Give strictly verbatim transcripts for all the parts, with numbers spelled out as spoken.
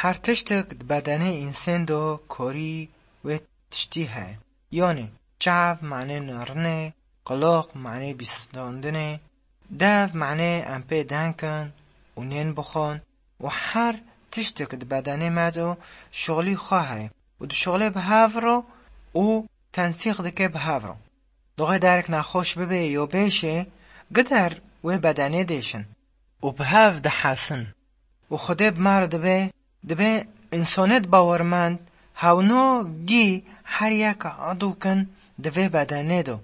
Her tiştek di bedenê însan de korî wê tiştî heye. Yanî çav manê narinê, qulaq manê bîstandinê, dev manê em pê deng kin û nên bixwin û her tiştek di bedenê me de şixulî xwe heye û dişixulê bi hev re û tensîq dike bi hev re. Doxê derek nexweş bibe yo bêşê, gider wê bedenê dêşin û bi hev dihesin. Û Xwedê bi me re dibê, dibê însanêt bawermend hewno gî her yek edû kin di vê bedenê de.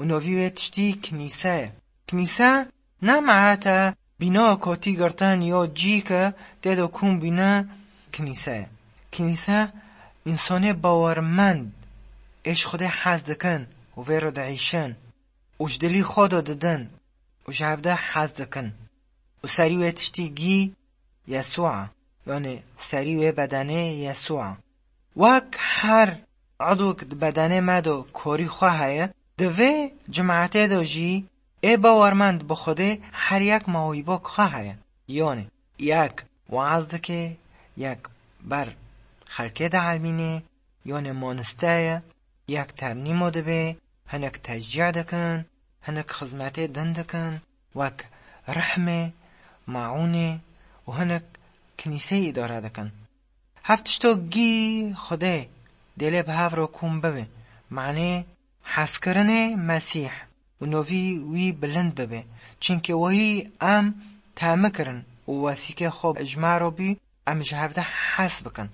Û novî wê tiştî kinîse ye. Kinîse ne me'ete bîna kotî girtin yo cî ke tê de kûm bîne kinîse ye. Kinîse însanê bawermend ê ji Xwedê hez dikin û vê re diîşin û ji dilî xwe de didin û ji hev de hez dikin. Û serî wê tiştî gî Yesûa, yanî serî wê bedenê Yesûa. Wek her edûk di bedenê me de korî xwe heye, di vê cimetê de jî ê bawermend bi Xwedê her yek mawîbok xwe heye. Yanî yek waaz dike, yek ber xelkê dielmîne, yanî maniste ye, yek ternîmo dibe, hinek teşcî dikin, hinek xizmetê din dikin, wek rehmê, maûnê û hinek kinîseyê îdare dikin. Hev tişto gî Xwedê dê lê bi hev re kûm bibe, manê hezkirinê Mesîh û novî wî bilind bibe. Çimkî wehî em temi kirin û wesîkê xwe ji me re bî, em ji hev de hez bikin.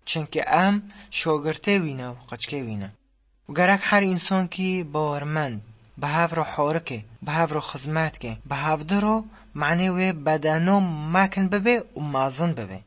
Çimkî em şogirtê wî ne û qeçkê wî ne. Û gerek her însankî bawermend bi hev re horike, bi hev re xizmet ke, bi hevdi re manê wê bedeno mekin bibe û mezin bibe.